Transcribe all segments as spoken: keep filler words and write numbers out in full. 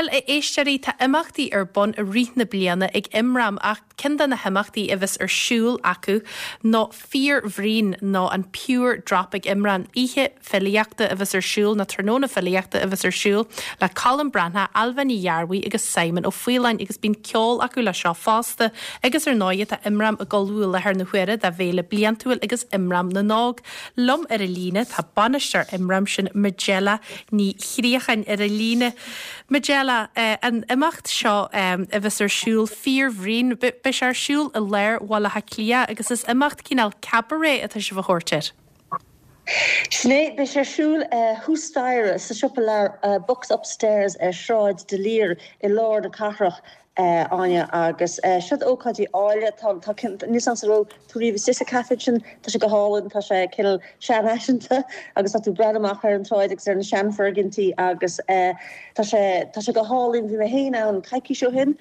Bhuel, a éisteoirí, tá imeachtaí ar bun i rith na bliana ag Imram ach ceann de na himeachtaí a bheas ar siúl acu ná Fíorbhraon nó an Pure Drop ag Imram oíche filíochta a bheas ar siúl nó tráthnóna filíochta a bheas ar siúl le Colm Breathnach, Ailbhe Ní Ghearbhuigh agus Simon Ó Faoláin agus bíonn ceol acu le seo fosta agus ar ndóigh tá Imram ag ullmhú i láthair na huaire dá bhféile bliantúil agus Imram na nÓg. Liom ar an líne tá bainisteoir Imram sin Majella Ní Chríocháin ar an líne. Majella eh, an imeacht seo eh, a bheas ar siúl Fíorbhraon beidh sé ar siúl i lár Bhaile Átha Cliath agus is imeacht cineál cabaret atá sibh a thabhairt air. Sin é beidh sé ar siúl thuas staighre sa siopa leabhar uh, Books Upstairs ar Sráid D'Olier i lár na cathrach uh, Áine agus uh, siad ócáidí áille tá níos an ro tú riamh sa caife sin tá sé go hálainn tá sé cineál seanfhaiseanta agus tá tú breathnú amach ar an tsráid agus ar na seanfhoirgintí agus uh, tá sé tá sé go hálainn bhí mé féin ann coicís ó shin.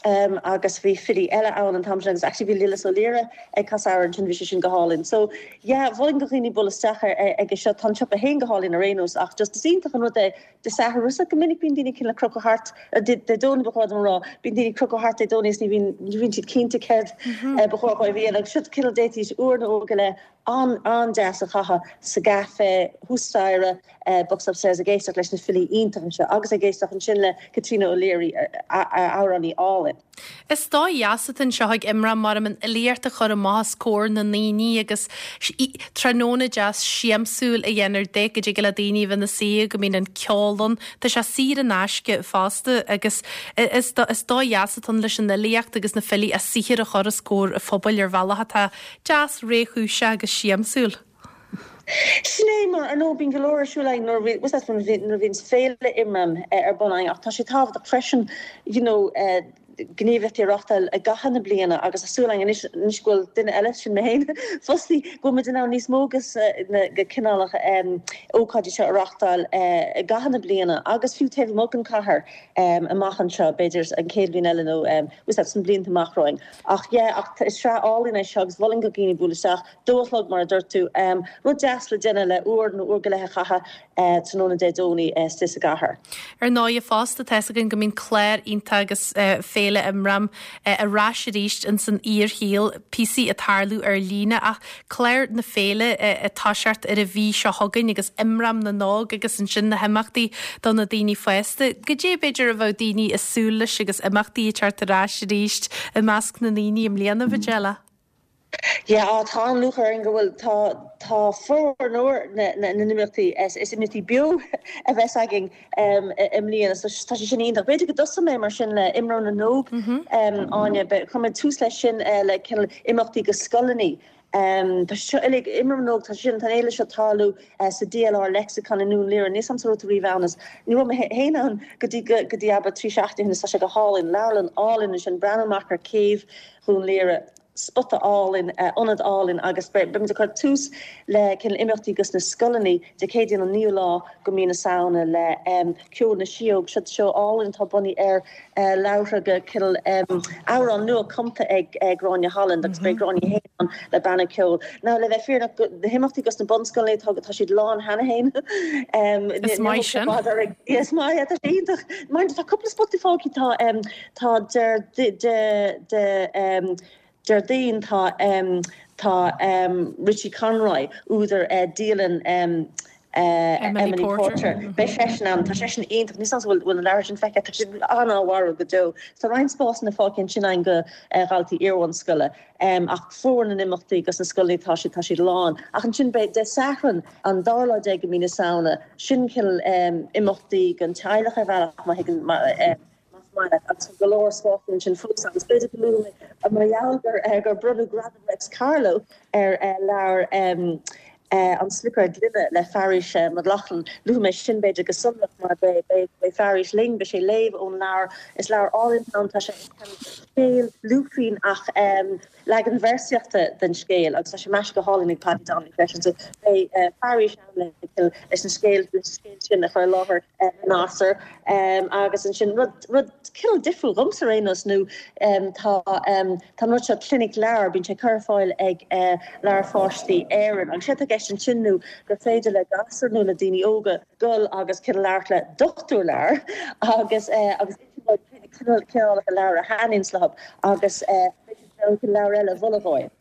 Um, agus bhí filí eile ann an t-am sin agus actually bhí Lillis Ó Laoire ag casadh sin bhí sé sin go hálainn. So yeah, mholfainn do dhaoine bualadh isteach ag seo tá siopa féin go hálainn ar aon nós ach just is iontach an rud é de Satharn go minic bíonn daoine cineál crochadh thart de Domhnach ba chóir rá bíonn daoine crochadh thart Dé Domhnaigh ní bhíonn ní bhíonn siad cinnte céard ba chóir dóibh a dhéanamh agus cineál d'fhéadfaidís uair nó go leith an an-deas a chaitheamh sa gcaife thuas staighre uh, Books Upstairs ag éisteacht leis na filí iontacha seo agus ag éisteacht ansin le Caitríona O'Leary amhránaí álainn. Is dóigh dheas atá anseo ag Imram mar an fhilíocht a chur amach os comhair na ndaoine agus tráthnóna deas siamsúil a dhéanamh de go dtig le daoine bheith ina suí go mbíonn an ceol ann Tá sé saor in aisce fosta agus is dóigh dheas atá leis an fhilíocht agus na filí a saothar a chur os comhair an phobail ar bhealach atá deas réchúiseach agus siamsúil. Sin é mar ar nó bíonn go leor siúl nuair bhíonn féile Imram ar bun ach tá sé tábhachtach freisin you know, uh, gníomhaíochtaí a reáchtáil i gcaitheamh na bliana agus súil anois go bhfuil duine eile sin mé féin fostaí go mbeidh ann níos mó agus na go cineálacha ócáidí seo a reáchtáil i gcaitheamh na bliana agus fiú taobh amuigh den chathair amach anseo b'fhéidir an chéad bhliain eile nó sna blianta amach romhainn. Ach yeah, ach is sraith álainn é seo agus mholfainn do dhaoine bualadh isteach dó a chlog mar a dúirt tú um, rud deas le déanamh le uair nó uair go leith a chaitheamh uh, tráthnóna Dé Domhnaigh uh, sa gcathair. Ar ndóigh fosta tá againn go mbíonn clár iontach agus uh, féile Imram uh, ar ais arís in san fhíorshaol píosaí ag tarlú ar líne ach clár na féile uh, atá seart ar a bhí seo chugainn agus Imram na nÓg agus ansin na himeachtaí do na daoine fásta. Go dé b'fhéidir a bheadh daoine ag súil leis agus imeachtaí teacht ar ais arís i measc na ndaoine i mbliana Mhajella. Ja tá an lúcháir go bhfuil tá tá formhór na n-imeachtaí is is imeachtaí beo a bheas againn i mbliana so tá sé sin iontach. B'fhéidir go dtosóidh mé mar sin le Imram na nÓg Áine chum tús leis sin le cineál imeachtaí go scoileanna. Um, tá seo uilig Imram na nÓg tá sin tan éile seo tarlú uh, sa DLR Lexicon i nDún Laoghaire níos am rí bhenas. Ní raibh mé féin ann go dtí go dtí abair trí seachtaine tá sé go hálainn leabharlann álainn sin breathnú amach ar céibh Dhún Laoghaire spota álainn ionad álainn agus beimid ag cur tús le cineál imeachtaí gus na scoileanna Dé Céadaoin an naoú lá de mhí na Samhna le um, ceol na síóg seo seo álainn tá bunaithe ar uh, leabhar go cineál um, amhrán nua cumtha ag uh, Gráinne Holland agus beidh Gráinne féin le banna ceoil. Now le bheith fírinneach na himeachtaí gus na bunscoileanna tá tá siad lán cheana féin. um, Is maith sin. Is maith tá iontach. Mar tá cúpla spota fágtha tá um, tá de de de um, Déardaoin tá um, tá um, Richie Conroy údar uh, dialann um, uh, Emily Emily Porter. Porter. Mm -hmm. Beidh seisean ann tá seisean iontach ní bhfuil bhfuil an leabhar sin feicthe tá sin an-mhór go deo. Tá roinnt spásanna fágtha sin ann go uh, dhaltaí iarbhunscoile. Um, ach formhór na n-imeachtaí gus na scoileanna tá siad tá siad lán. Ach ansin beidh Dé Sathairn an dara lá déag de mhí na Samhna sin cineál um, imeachtaí don teaghlach ar bhealach má thuigeann uh, agus go leor spásanna sin fós agus b'fhéidir go luafaidh mé mar gheall gur uh, gur bronnadh gradam Réics Carló ar uh, leabhar um, uh, an Sliotar Gloine le Fearghas uh, Mac Lochlainn luafaidh mé sin b'fhéidir go sonrach mar beidh Fearghas linn beidh sé ag léamh ón leabhar is leabhar álainn ann tá sé scéal lúfrín ach um, leagan véarsaíochta den scéal agus tá sé maisithe go hálainn ag Paddy Donnelly freisin so beidh uh, Fearghas le leis an scéal leis scéal sin a chur i láthair uh, Nasir um, agus ansin rud rud cineál difriúil dhomsa ar aon nós nó um, tá um, tá rud seo clinic leabhar bíonn sé curtha ar fáil ag uh, Leabhair Pháistí Éireann agus sé gceist ansin nó gur féidir le gasúir nó le daoine óga dul agus cineál labhairt le dochtúir leabhar agus agus cineálacha leabhar a thaitníonn leo agus leabhar eile a mholadh dóibh.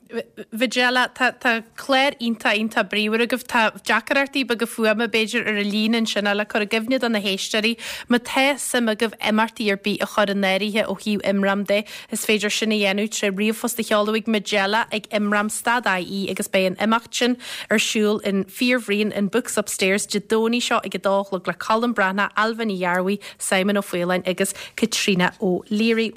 Majella tá clár iontach iontach bríomhar agaibh tá deacrachtaí beaga fuaime b'fhéidir ar an líne ansin le cur i gcuimhne do na héisteoirí má tá suim agaibh imeachtaí ar bith a chur in áirithe ó thaobh Imram de is féidir sin a dhéanamh trí ríomhphost a sheoladh ag Majella ag imram stad IE agus beidh an imeacht sin ar siúl in Fíorbhriain in Books Upstairs Dé Domhnaigh seo ag a dó a chlog le Colm Breathnach Ailbhe Ní Ghearbhuigh Simon Ó Faoláin agus Caitríona O'Leary.